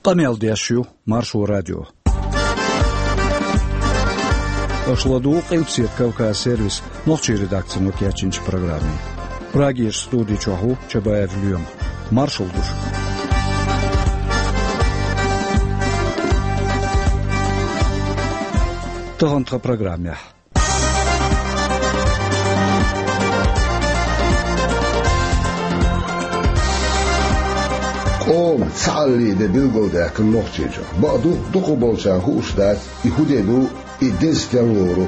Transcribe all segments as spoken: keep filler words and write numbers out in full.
Къамел деш ю Маршо радио. Аша ладугӀу Къилбаседа Кавказ сервисан нохчийн редакцино кечйинчу программе. Прагерчу студи чохь ву Чабаев Лоьма. Маршалла ду шуьга. Тахана тхан программехь. Къоман цхьааллин де билгалдаьккхина Нохчийчохь. Бакъду, дукхахболчарна хууш дац, и хӀун де ду, и деза стенна лору.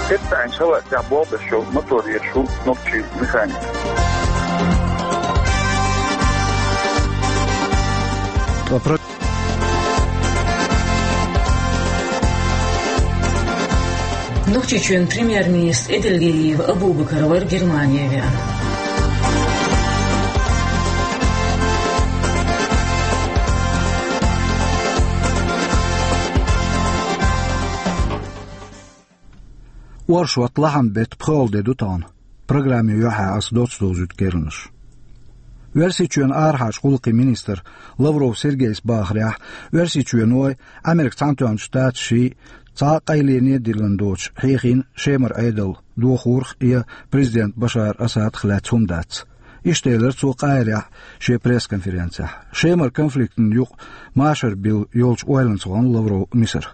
Кхетта шалахь тӀехь болх беш йолу мотор езаш ву нохчийн механик. Ткъа про- Нохчийчоьнан премьер-министр Эдельгериев Абубакар вара Германе веана. Оршот, лахьан беттан пхоьалгӀа де ду тахана. Программе юьхьа аса доцца довзуьйту керланаш. Оьрсийчоьнан арахьарчу гӀуллакхийн министра Лавров Сергейс бахарехь, Оьрсийчоьной, Американ Цхьаьнатоьхначу Штаташий цхьа а къайлене а диллина доцуш хьехийна Шемара Ӏедал дохорах я президент Башар Асадах лаьцна хӀума дац. Иштта элира цо Къаьхьирехь шен пресс-конференцехь. Шемара конфликтана юкъа машар билла йолчу ойланца вахана Лавров Мисар.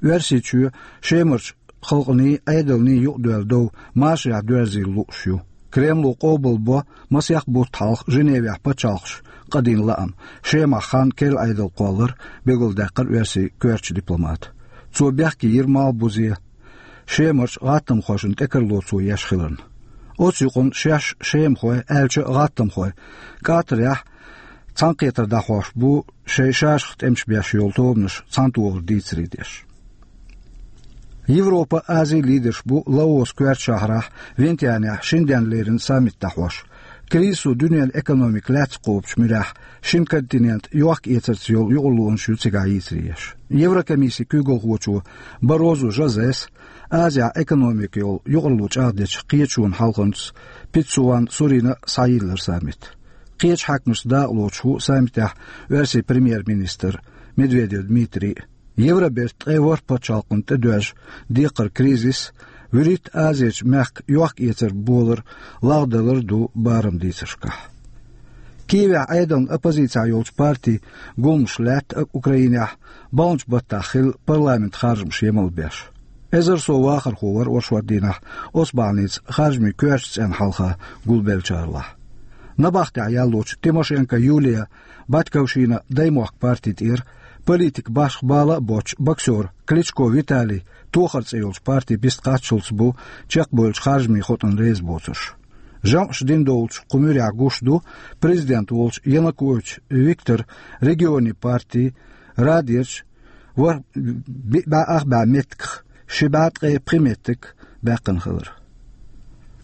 Оьрсийчоь Шемарчу халкъаний, Ӏедалний юкъадоьлла дов машарехь доьрзийла лууш ю. Кремло къобалбо масех бутт хьалха Женевехь пачхьалкхаша къадийна лаам, Шемахь хан керла Ӏедал кхоллар, билгалдаьккхира оьрсийн коьртачу дипломата. Цо бехке йира малхбузе Шемарчу гӀаттамхошна тӀекарло цо еш хиларна. Оцу юкъана шаьш шемахой, аьлча а гӀаттамхой, Катарехь цхьаьнакхетар дӀахьош бу шайн шашах тӀемаш беш йолу тобанаш цхьаьнатохар дийцаре деш. Европа, Ази лидерш бу Лаос коьртачу шахьарахь Вьентьянехь шина денна леррина саммит дӀахьош. Кризисо дуьненан экономика лаьцна кхобучу муьрехь шина континентан йохка-эцарца йолу юкъарлонаш ю цигахь йийцаре еш. Еврокомиссин куьйгалхочо Баррозу Жозес Азехь экономикан йолу юкъарло чӀагӀдечу кхеташонан хьалхарнца Пиццуан Сурина схьайиллира саммит. Кхечу хьаькамашца дакъалоцуш ву саммитехь Оьрсийн премьер-министр Медведев Дмитрий. Евробертан ткъе ворхӀ пачхьалкхана тӀедоьжна декхаран кризис вуьрхӀитта Азерчу мехкан йохка-эцар болар лагӀдалар ду бараман дийцаршкахь. Киевехь Ӏедална оппозицехь йолчу партийн гуламаш лаьтта Украинехь баханчу баттахь хилла парламентан харжамаш емал беш. Эзар сов вахархо вара оршот дийнахь оцу бахьаница харжамийн коьртачу цӀенна хьалха гулбеллачарлахь. Набахтехь яьллачу Тимошенко Юлия, Батьковщина даймохк партин тӀера, политикан башха бала а боцчу боксёр Кличко Виталий тохар цӀе йолчу партин бист кхаччалц бу чекхбевллачу харжамийн хотӀана реза боцурш. ЖамӀаш дина долчу кху муьрехь гуш ду президент волчу Янукович Виктор регионийн партин Радерчу ворхӀ-, би-, бӀе ах бӀе меттигах ши бӀе ткъе пхи меттиг баьккхина хилар.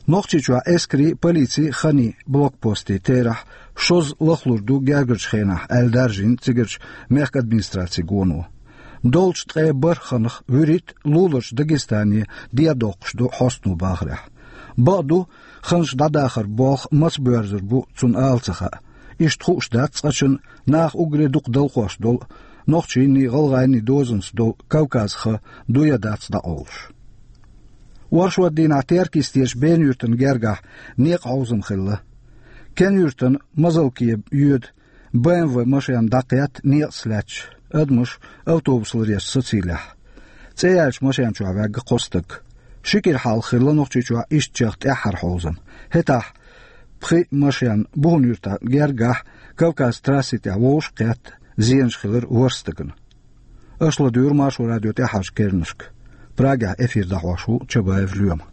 Нохчийчохь эскарийн, полицин а, ханийн блокпостийн терахь шозза лахлур ду гергарчу хенахь, аьлла даржийна цигарчу мехкан администрацин гоно. Доллучу ткъе бархӀ ханах вуьрхӀитта луларчу Дагестане ден доккхуш ду хьостано бахарехь. Бакъду, ханаш дӀадахаран болх маца боьрзур бу, цунна ала ца хаьа. Иштта хууш дац цкъачунна наха уггаре дукха далхош долу, нохчийний, гӀалгӀайний дозанца долу Кавказан хан ду я дац дӀакъовлуш. Оршот дийнахь Теркйистечу Бен-юьртана гергахь некъан хьовзам хилла. Кен-юьртана Мазалке йоьду Б М В машен дӀакхетта некъаца лаьтташ, адамаш автобус ларъеш сацийлехь. ЦӀе яьллачу машен чохь ваьгна кхо стаг. Ши кӀира хьалха хилла Нохчийчохь иштта чех тӀаьххьара хьовзам. ХӀетахь пхи машен Бухун-Юьртана гергахь Кавказ трасси тӀехь вовшах а кхетта, зенаш хилира ворхӀ стагана. Аша ладуьйгӀура Маршо радион тӀаьххьарчу керланашка. Прагехь эфир дӀахьош ву Чабаев Лоьма.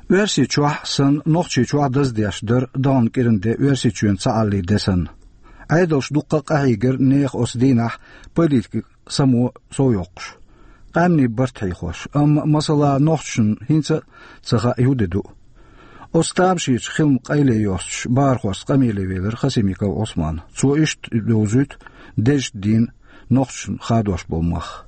Оьрсийчохь санна, Нохчийчохь даздеш дара даханчу кӀиран де Оьрсийчоьнан цхьааллин де санна. Ӏедалш дуккха а къахьийгара нехан оцу дийнахь политикан само сов йоккхуш. Къаьмнийн барт хьийхош, амма, масала, нохчашна хӀинца а ца хаьа, хӀун де ду. Оцу тамашийчу хиламан къайле йостуш, бахархошца къамеле велира Хасимиков Ӏусман. Цо иштта довзуьйту дезачу дийнан нохчашна хадош болу мах.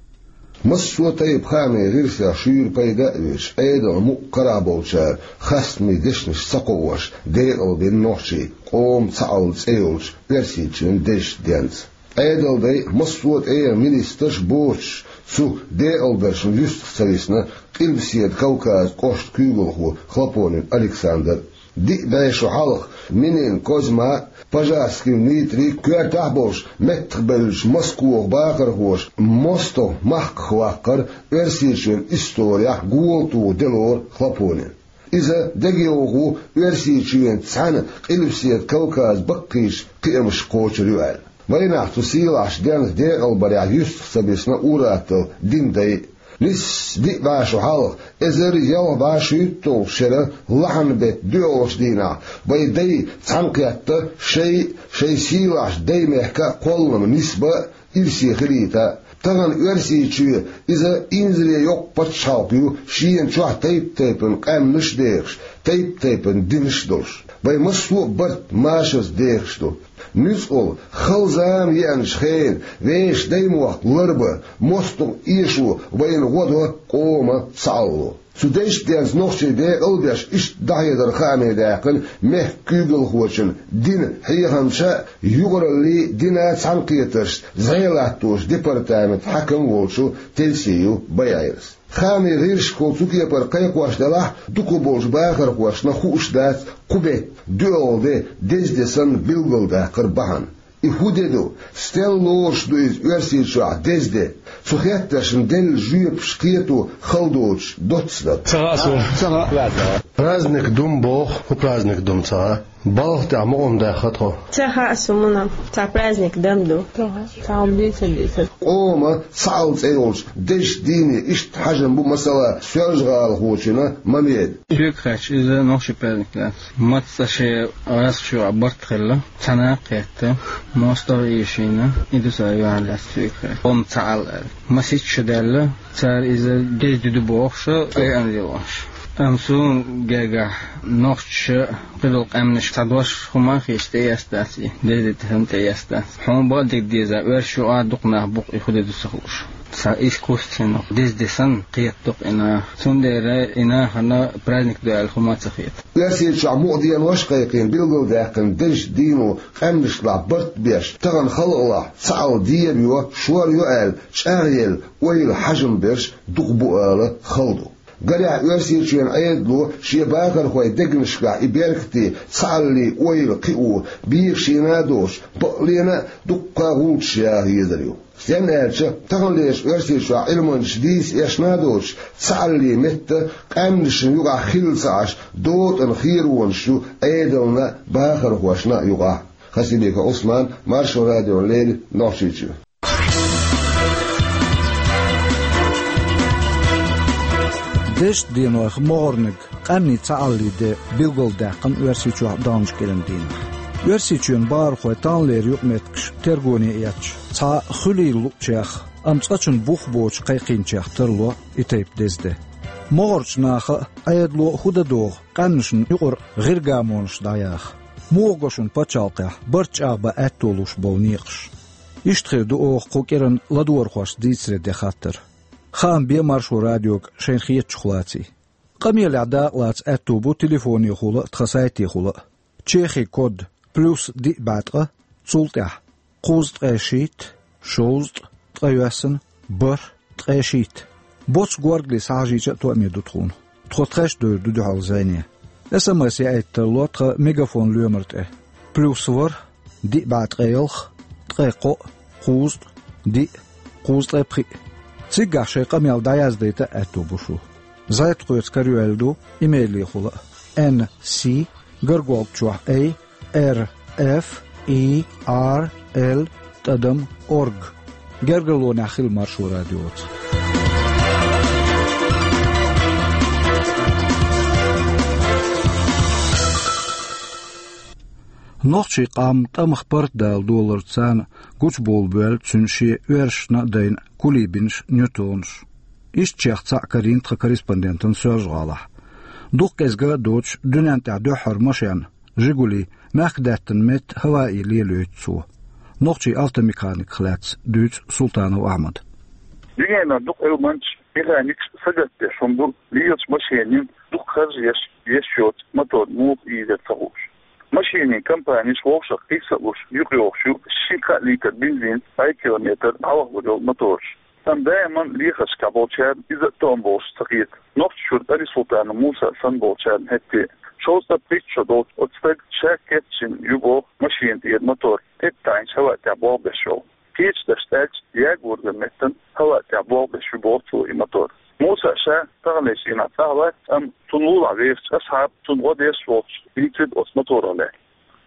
Массо а тайпа хаамийн гӀирсех шуьйра пайда а оьцуш, Ӏедалан мукъа карахь болчара хастамийн дешнаш ца кхоош, декъалбина нохчий, «Къоман цхьаалла» цӀе йолчу Оьрсийчоьнан дезачу денца. Ӏедалан дай, массо а тӀегӀан министрш а боцуш, цу декъалдаршна юьстах ца висна Къилбаседа Кавказан кӀоштан куьйгалхо Хлопонин Александр. Диъ бӀе шо хьалха Минин Козьма а, Пожарским Дмитрий а коьртехь а болуш, меттахбевллачу Москвахь бахархоша мостагӀ махках ваккхар Оьрсийчоьнан исторехь гӀоле туху де лору Хлопонин. Иза дегайовхо Оьрсийчоьнца цхьаьна Къилбаседа Кавказан баккхийчу кхиамаш кхочур ю аьлла. Вайнахь цу сийлахьчу денца декъалбарехь юьстах ца бисна ур-атталла динан дай а. Нийсса диъ бӀе шо хьалха, эзар ялх бӀе шуьйтталгӀачу шеран лахьанан беттан доьалгӀачу дийнахь, вайн дай цхьаьнакхетта шайн а, шайн сийлахьчу даймехкан а кхоллама нисбан а, ирсе хилийта а. Тахана Оьрсийчоь иза инзаре йоккха пачхьалкх ю, шена чохь тайп-тайпана къаьмнаш а дехаш, тайп-тайпана динаш а долуш. Вайн массо а барт машарца дехаш ду. Нуьцкъала, хала зама еанчу хенахь, вешан даймохк ларбан, мостагӀ эшо вайна гӀо до къоман цхьаалло. Цу дезачу денца нохчий декъал а беш, иштта дӀахьедар хааме даьккхина мехкан куьйгалхочун динан хьехамча а, юкъараллин а, динан а цхьаьнакхетаршца зӀе латточу департаментан хьаькам а волчу Тельсиев Байайрас. Хаамийн гӀирсашкахула цу кепара кхайкхош делахь а, дукхахболчу бахархошна хууш дац кху беттан доьалгӀа де деза де санна билгалдаккхаран бахьана. И хӀун де ду? Стенна лоруш ду иза Оьрсийчохь деза де? Цу хеттаршна делла жоьпаш кхето хала доцуш доцца дара. Ца хаьа суна. Ца хаьа. Праздник ду-м боху, хӀун праздник ду-м ца хаьа. Балха тӀехь мукъам даьхна тхо. Ца хаьа суна, цхьа праздник дан ду. Ца хаьа. Цхьа хӀума дийца а дийца. «Къоман цхьаалла» цӀе йолчу дезачу дийне иштта хьажам бу, масала, Соьлжа-ГӀалахочун Мамедан. Соьга хаьттича, иза нохчийн праздник дац. Маца цкъа шен гӀазкхаша юкъахь барт хилла, цхьаьна кхетта, мостагӀ а эшийна, и ду цара юьхьарлаьцна соьга хаьттича. «Къоман цхьаалла» аьлла. Масех шу даьлла, цара иза деза де ду бохуш, пайхамар йолуш. Амма суна гергахь, нохчаша кхидолу къаьмнаш цхьа дош хӀума а хеташ тӀеэцна дац и, деза де санна тӀеэцна дац. Хьуна бакъдерг деза, оьрсашна юкъахь дукха нах бу-кх и хӀун де ду ца хууш. Цхьа искусственни деза де санна кхетадо-кх и наха. Цундела и нахана праздник ду аьлла хӀума а ца хета. Оьрсийчохь мукъа денош а кхайкхийна, билгалдаьккхина дезачу дийно къаьмнашлахь барт беш, тахана халкъалахь цхьаалла деба йо, шор йо аьлла, чӀагӀъелла, ойла, хьажам берш дукха бу ала хала ду. Гарехь, Оьрсийчоьнан Ӏедало шен бахархойн дегнашкахь и беркате, цхьаалле ойла кхио бегашийна а доцуш, бакъ лена а дуккха а гӀулчаш яха езар ю. Стенна аьлча, таханлерчу Оьрсийчохь Ӏилманчаш дийца эшна а доцуш, цхьааллин метта къаьмнашна юкъахь хилла ца Ӏаш, дотӀана херонаш ю Ӏедална а, бахархошна а юкъахь. Хасибиков Ӏусман, Маршо радиона леррина, Нохчийчоь. Дезачу денойх могӀарниг, къаьмнийн цхьааллин де билгалдаьккхина Оьрсийчохь а, Даьллачу кӀиран дийнахь. Оьрсийчоьнан бахархой таханлера юкъаметтигаш тергоне эцча, цхьа хуьлийла луучех, амма цкъачунна бух боцуш кхайкхийначех тарло и тайпа деза де. МогӀарчу наха а, Ӏедало а хӀун дан догӀу къаьмнашна юкъара гӀиргамонаш дӀаяха? Муха го шуна пачхьалкхехь барт чӀагӀбан аьтто луш болу некъаш? Иштта хир ду оха кху кӀиранан ладогӀархошца дийцаре ден хаттар. Хаам бе Маршо радиога шайна хетачух лаций. Къамелехь дакъалаца аьтто бу телефонехула а, тхан сайтехула а. Чехин код: плюс диъ бӀе ткъа, цул тӀаьхьа кхузткъе шийтта, шовзткъа, ткъайоьсна, бархӀ, ткъе шийтта. Боцу горгали схьахьажийча а тоъаме ду тхуна. Тхо тхаьш а довр ду дуьхьал зӀене. СМС яийта тарло тхан Мегафон лоьмар тӀе: плюс ворхӀ, диъ бӀе ткъе ялх, ткъе кхоъ, кхузткъа, диъ, кхузткъе пхиъ. Цигахь шайн къамел дӀаяздайта а аьтто бу шун. ЗӀе тхоьца карайоьлла ду имейлехула а: Н С, гаргуолчохь эй, Р Ф И Р Л тӀадам орг. Гергарлонехь хила Маршо радиоца. Нохчийн къам тӀамах паргӀатдала доларца гучубовла боьллу цуьнан шен оьрсашна а дайна кулибинаш, ньютонаш. Ишттачех цхьаъ карийна тхан корреспондентана Соьлжа-ГӀалахь. Дукха кӀезга а доцуш дуьнен тӀехь дуьххьара машен, «Жигули», мехкдаьттан метта Хаваи лелайойту цо. Нохчийн автомеханиках лаьцна дуьйцу Султанов Ахьмада. Дуьненан дукха Ӏилманчаш, механикаш сагатдеш хӀума ду лелача машенийн дукха харжа еш, еш йоцу мотор муха ийзира ца хууш. Машенийн компанеш вовшах кхийса а луш, юкъайохуш ю ши-кхаа литр бензин, ткъаь километр дӀавахалур йолу мотораш. Амма даиман лехаршкахь болчарна иза а тоам болуш ца хета. Нохчийчуьра Али-Султанов Муса санна болчарна хӀетте а. Шовзткъе пхийтта шо долчу оцу стага ша кечйина ю боху машена тӀера мотор, тӀетаьӀначу хӀаваъ тӀехь болх беш йолу. Кхечу дашца аьлча, ягорган меттана хӀаваъ тӀехь болх беш ю боху цо и мотор. Муса ша таханлерчу дийнахь цӀахь вац, амма цунна лулахь вехачу асхьаб цунна гӀо деш волчу дийцира оцу моторах лаьцна.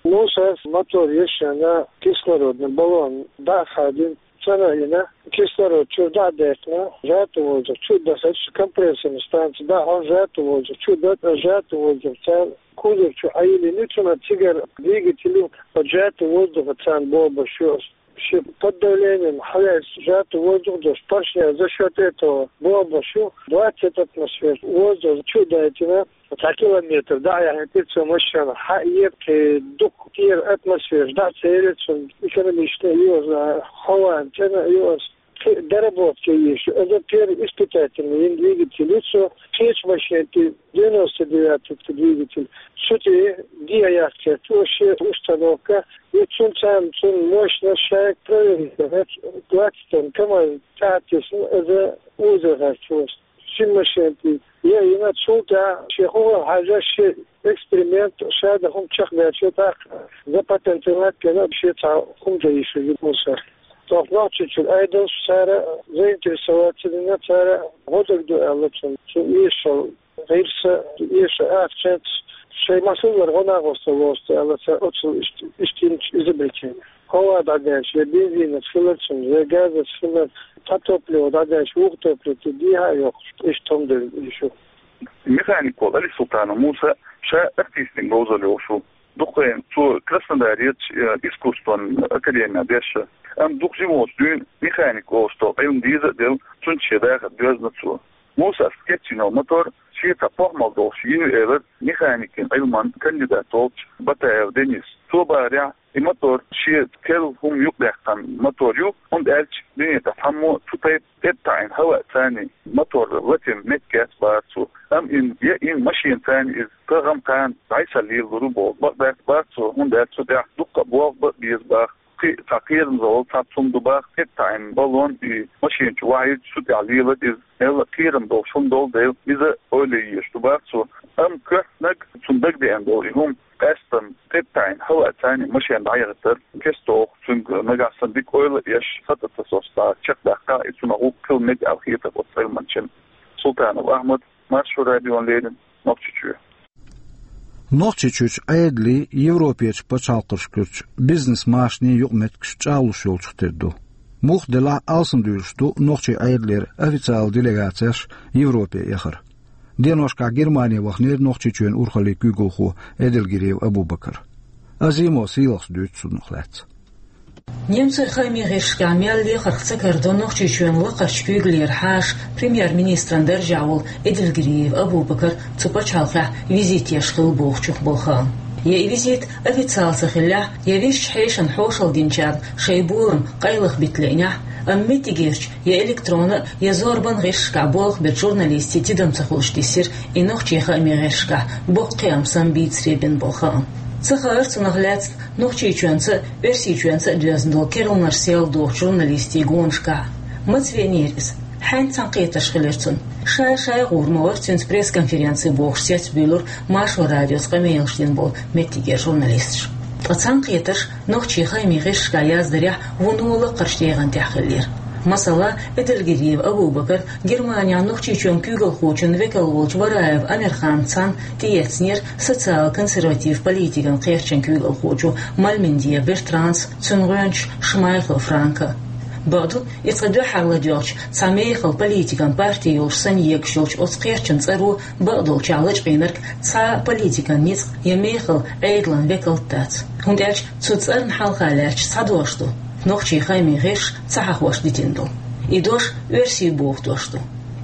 Мусас мотор ешшана кислородный баллон дӀа а хадийна, цӀана а йина, кислород чуьра дӀа а даьккхина, сжатый воздух чу а дахарца, компрессорный станция дӀахьо, сжатый воздух чу а даьтта, сжатый воздух царна кузов чу Ӏайиллина, цунах цигара двигатель, сжатый воздух царна бобуш ю. Шен под давлением хьалаьцна сжатый воздух долуш поршня за счёт этого бобуш ю, двадцать атмосфер воздух чу а дайтина, цхьа километр дӀа а яхьийтира цо машина, хьаэцира, кхин дукха тӀера атмосфера дӀа а ца елира цунна, экономично а ю иза, хьо ван цӀена а ю иза, кхин доработка еш ю. Иза первый испытательный йина двигатель ю цо, кхечу машенан тӀе девяносто девятый двигатель. Цу тӀе де а яьккхира цо шен установка, и цунна царна цунна мощность шайга проверить дара, двадцать тонн КамАЗ тӀе а тесна, иза узо гӀерташ ву. Шина машенан тӀе яа йина, цул тӀаьхьа шен хӀун хьажа, шен эксперимент, ша дан хӀума чекхбаьлча, тӀаккха запатентовать бина, шен цхьа хӀума дан йиш ю Мусас. ТӀаккха Нохчийчуьра Ӏедалш цара заинтересоваться дина, цара гӀо дагадо аьлла цунна, цу эшал гӀирса, эша ахчанца шайн масаллара гӀо нахоста лоцу аьлла цара оццул иштта, иштта йинчу изобретение. Хьо ван дӀадаьлча, я бензинца хилар цунна, я газца хилар, цхьа топливо дӀадаьлча, вукху топливо тӀе дехьа а йоккхуш, иштта хӀума дан йиш ю. Механик волу Али-Султанов Муса ша артистийн говзалла йолуш ву. Дукха вайна цо Краснодарерчу, э, искусстван академехь дешна. Амма дукха жима волчу дуьйна механик волуш долу Ӏилма деза а делла, цуьнца шен дахар доьзна цо. Мусас кечйина йолу мотор шен цхьа похӀмалла долуш йина ю элира механикийн Ӏилман кандидат волчу Батаев Денис. Цо бахарехь, и мотор шен керла хӀума юкъадаьккхина мотор ю, хӀунда аьлча дуьне тӀехь цхьаммо цу тайпа тӀетаьӀна хӀаваъ царний мотор латийна меттиг яц бахара цо. Амма и яа йина машена царний иза тахана кхана дӀасалелалур ву боху бакъ дац бахара цо, хӀунда аьлча цу тӀехь дуккха а болх бан а беза баха. Кхин а цхьа кхерамзалла, цхьа цхьа хӀума ду баха, тӀетаьӀна баллон и машена чу вахьийча, цу тӀехь лелара иза, мелла а кхерам долуш хӀума долу дела, иза ойла ян езаш ду баха цо. Амма коьртаниг цунна дагадеана долу и хӀума, къаьсттина тӀетаьӀна хӀаваъ царний машена дӀаяхийтар, кестта а цуьнга нагахь санна дика ойла а еш, хатӀа ца сосуш, чекхдаккха, и цунах ву хила мега аьлла хетар оцу Ӏилманчина. Султанов Ахьмад, Маршо радиона леррина, Нохчийчоь. Нохчийчуьрчу Ӏедалийн, Европерчу пачхьалкхашкарчу бизнес-машанийн юкъаметтигаш чӀагӀлуш йолчух тера ду. Муха делахь а, алсамдуьйлуш ду нохчийн Ӏедалера официалан делегацеш Европе эхар. Деношкахь Германе ваханера Нохчийчоьнан урхаллин куьйгалхо Эдельгериев Абубакар. Азимо сийлахьс дуьйцу цунах лаьцна. Немцойн хаамийн гӀирсашкахь мел лехарх ца карадо Нохчийчоьнан лакхарчу куьйгаллера хьаша, премьер-министран даржехь волу Эдельгериев Абубакар цу пачхьалкхехь визит еш хилла бохучух болу хаам. Я и визит официалан ца хиллехь, я висчу хьешана хьошалла динчарна шайн болам къайлаха бита лиънехь, амма меттигерчу я электронан, я зорбан гӀирсашкахь болх бечу журналистийн тидам ца хуьлуш диссира и нохчийн хаамийн гӀирсашкахь боккха кхиам самабийцаре бина болу хаам. Ца хаара цунах лаьцна Нохчийчоьнца а, Оьрсийчоьнца а доьзна долу керланаш сел дохучу журналистийн гонашкахь. Маца веанера иза? Хьаьнца цхьаьнакхетарш хилира цуьнан? Шай-шай гӀур ма вара цуьнца пресс-конференци бохуш цецбуьйлура Маршо радиоца къамелаш дина болу меттигера журналисташ. Ткъа цхьаьнакхетарш нохчийн хаамийн гӀирсашкахь яздарехь вуно лакхарчу дегӀан тӀехь хиллера. Масала, Эдельгериев Абубакар Германехь Нохчийчоьнан куьйгалхочун векал волчу Вараев Амирханца цхьаьна тӀеэцнера социал-консерватив политикан кхерчан куьйгалхочо Мальмендиев Бертранца, цуьнан гӀоьнча Шмайхл Франка. Бакъду, и цкъа дуьххьара ладоьгӀча цхьа мехала политикан парти йолуш санна егаш йолчу оцу кхерчан цӀаро бакъдолчохь лачкъийнарг цхьа а политикан ницкъ я мехала Ӏедалан векалт дац. ХӀунда аьлча цу цӀарна хьалха лаьтташ цхьа дош ду, нохчийн хаамийн гӀирсаша ца хьахош дитина долу. И дош оьрсийн боху дош ду.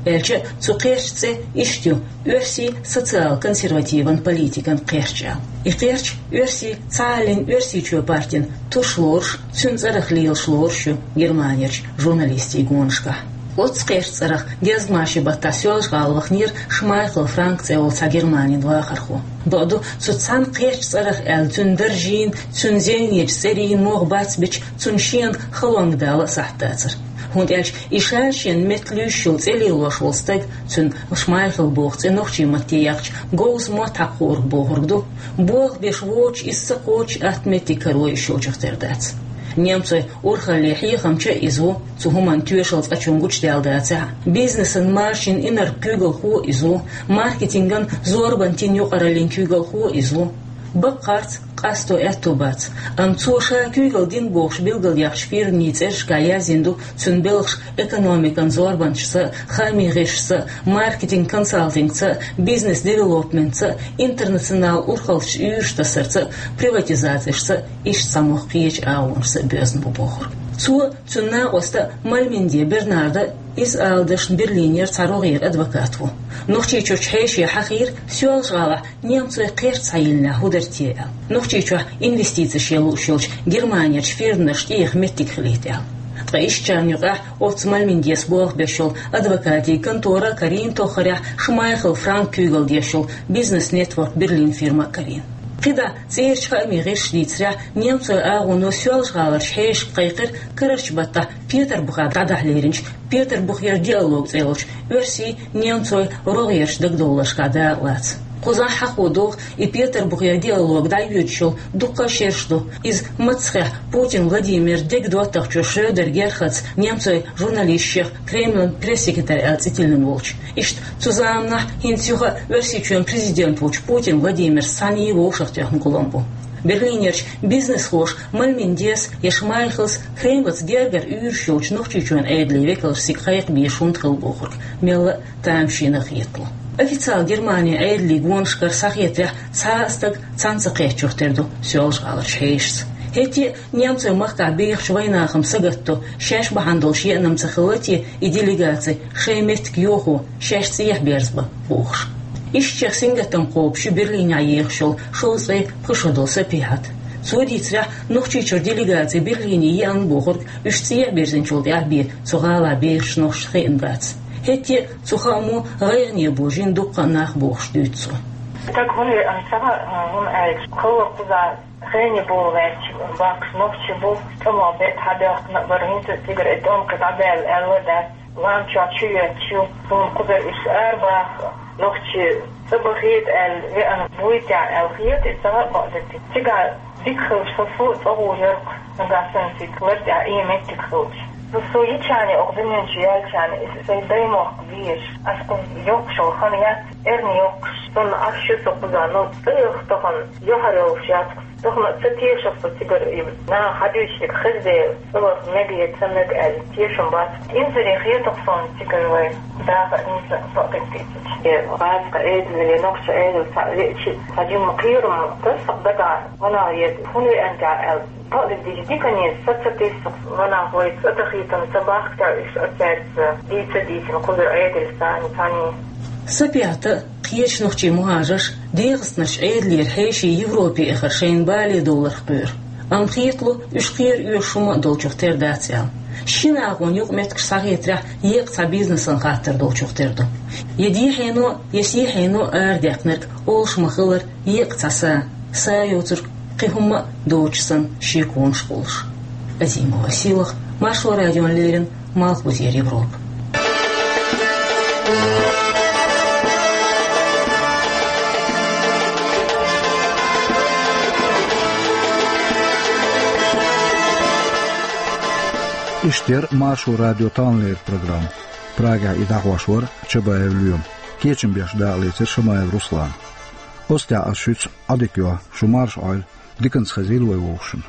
Аьлча а цу кхерчан цӀе иштта ю: оьрсийн социал-консервативан политикан кхерч аьлла. И кхерч оьрсийн цхьааллин Оьрсийчоь партин туш лоруш, цуьнан цӀарах лелаш лоруш ю Германерчу журналистийн гонашкахь. Оццу кхечу цӀарах дезгмашин баттахь Соьлжа-ГӀала ваханера Шмайхл Франк цӀе йолу цхьа Германин вахархо. Бакъду, цу цхьана кхечу цӀарах аьлла, цуьнан даржийн, цуьнан зевнечу цӀерийн могӀа бацбича, цунна шена халонга дала а сахьт дацара. ХӀунда аьлча и ша шена метта луьйш йолу цӀе лелош волу стаг, цуьнан Шмайхл боху цӀе нохчийн матте яьккхича, говза мотт хьакхорг бохург ду. Болх беш воцуш, иза ца кхочуш, атта меттиг каро йиш йолчух тера дац. Немцойн урхаллин хьехамча а иза ву, цу хӀуманна тоьшалла цкъачунна гучудаьлла дацахь а. Бизнесан маршонан инарла куьйгалхо а иза ву, маркетинган, зорбанан тина юкъараллин куьйгалхо а иза ву. Баккхарца къасто аьтто бац, амма цо ша куьйгалла дина бохуш билгалъяьхначу фирмийн цӀерашкахь яздина ду цуьнан белхаш экономикан зорбанашца, хаамийн гӀирсашца, маркетинг-консалтингца, бизнес-девелопментца, интернационал урхаллаш уьйраш тасарца, приватизацешца, иштта цхьа могӀа кхечу агӀонашца а боьзна бу бохург. Цо, цуьнан накъоста Мальминди Бернарда, иза ала дашна, Берлинера цхьа рогӀера адвокат ву. Нохчийчуьрчу хьешана хьахийра, Соьлжа-ГӀалахь немцойн кхерч схьайиллинехь хӀун дара те аьлла. Нохчийчохь инвестицеш ян лууш йолчу Германерчу фирманашна тӀеэха меттиг хилийта аьлла. Ткъа ишттачарна юкъахь оццу Мальминдис болх беш йолу адвокатийн контора а карийна, тоххарехь Шмайхл Франк куьйгалла деш йолу Бизнес Нетворк Берлин фирма а карийна. КхидӀа цӀерачу хаамийн гӀирсаша дийцарехь, немцойн агӀоно Соьлжа-ГӀаларчу хьешашка кхайкхира карарчу баттахь Петарбухехь дӀадахьа леринчу Петарбухера диалог цӀе йолчу оьрсийн, немцойн рогӀерчу дагадовларшкахь дакъа лаца. Кхузахь хьахо догӀу, и Петарбухера диалог дӀайоьдуш йолу дуккха а шераш ду. Иза маццахехь Путин Владимир дега доттагӀчо Шредер Герхарда немцойн журналистех Кремлан пресс-секретарь аьлла цӀе тиллина волчу. Иштта цу заманахь хӀинца юха Оьрсийчоьнан президент волчу Путин Владимира цхьаьна вовшахтоьхна гулам бу. Берлинерчу бизнесхоша Мальминдис я Шмайхлс Кремлаца гергара уьйраш йолчу Нохчийчоьнан Ӏедалан векалш цига кхайкха безаш хӀунда хилла бохург мелла а тамашийна хетало. Официалан Германин Ӏедалан гонашкара схьахетарехь, цхьа а стаг цхьаьна ца кхеччух тера ду Соьлжа-ГӀаларчу хьешашца. ХӀетте а немцойн махкахь бехачу вайнахана сагатдо, шаьш бахьана долуш еана-м ца хилла те и делегаци, шайн меттиг йохо, шаьш цӀехьа берзабан бохуш. Ишттачех сингаттам кхобуш ю Берлинехь ехаш йолу шовзткъе пхи шо долу Сапихьат. Цо дийцарехь, Нохчийчуьра делегаци Берлине еана бохург уьш цӀехьа бирзинчул тӀаьхьа бен цу гӀалахь бехачу нохчашна хиъна бац. ХӀетте а цу хаамо гӀайгӀане божийна дуккха а нах бохуш дуьйцу цо. Стаг хӀунда веана ца хаьа, хӀунда аьлча хала кхузахь хене болу ваьлча бахкаш нохчи бу, тӀамал бетта хьабаьхкина а бара, хӀинца а цигара и тӀом кхин дӀабаьлла аьлла а дац. Лам чохь чу йоьттуш ю, суна кхузара уьш арабаха, нохчи ца бахийта аьлла веана буй те аьлла хета, и ца хаьа бакъдерг. Цигахь дика хилча, со, со а цӀа гӀур яра-кх, нагахь санна цига лар тӀехь и меттиг хилча. Со, со йича а, оха дуьнен чу яьлча а, и сайн даймохк безаш, ас кхуза йоккхуш йолу хан яц, эрна йоккхуш, санна Ӏаш ю со кхузахь, но цӀа яха тахана юьхьар йолуш яц-кх. Тахана ца тешара со цигара, и наха хьадуьйцург хезде, цӀа ваха мега я ца мега аьлла, тешам бац. Инзаре хета-кх суна цигара вай дахар, хӀинца а бакъдерг дийцича. Э, гӀазкхийн Ӏедале, нохчийн Ӏедале цхьаъ веача, цхьа жимма кхерам таса-кх дагахь, ванах еда, хӀунда веана те аьлла. Бакъдерг дийцича, дикане са ца тесна-кх, ванах вай цӀа дахийтина ца бахка те, уьш оцаьрца дийца а дийцина, кхузара Ӏедалца цхьаьна, цхьаьна. Сапихьата, кхечу нохчийн мухӀажарш ДегӀастанарчу Ӏедалера хьеший Европе эхар шайна бале довларх кхоьру. Амма хетало, уьш кхера оьшуш хӀума а долчух тера дац аьлла. Шина агӀонан юкъаметтигаш схьахетарехь, еккъа цхьа бизнесан хаттар долчух тера ду. Я дехьено, я сехьено арадаьккхинарг олуш ма-хиллара, еккъа цхьа са, са йоцург кхин хӀумма а доцуш санна, шеконаш кхуллуш. Азимова Сийлаха, Маршо радиона леррина, Малхбузера Европа. Иштта яра Маршо радион таханлера программа. Прагехь и дӀахьош вара Чабаев Лоьма. Кечам беш дакъалецира Шамаев Руслана. Оцу тӀехь ас шуьца Ӏодика йо, шу марша Ӏойла, диканца хезийла вай вовшашна.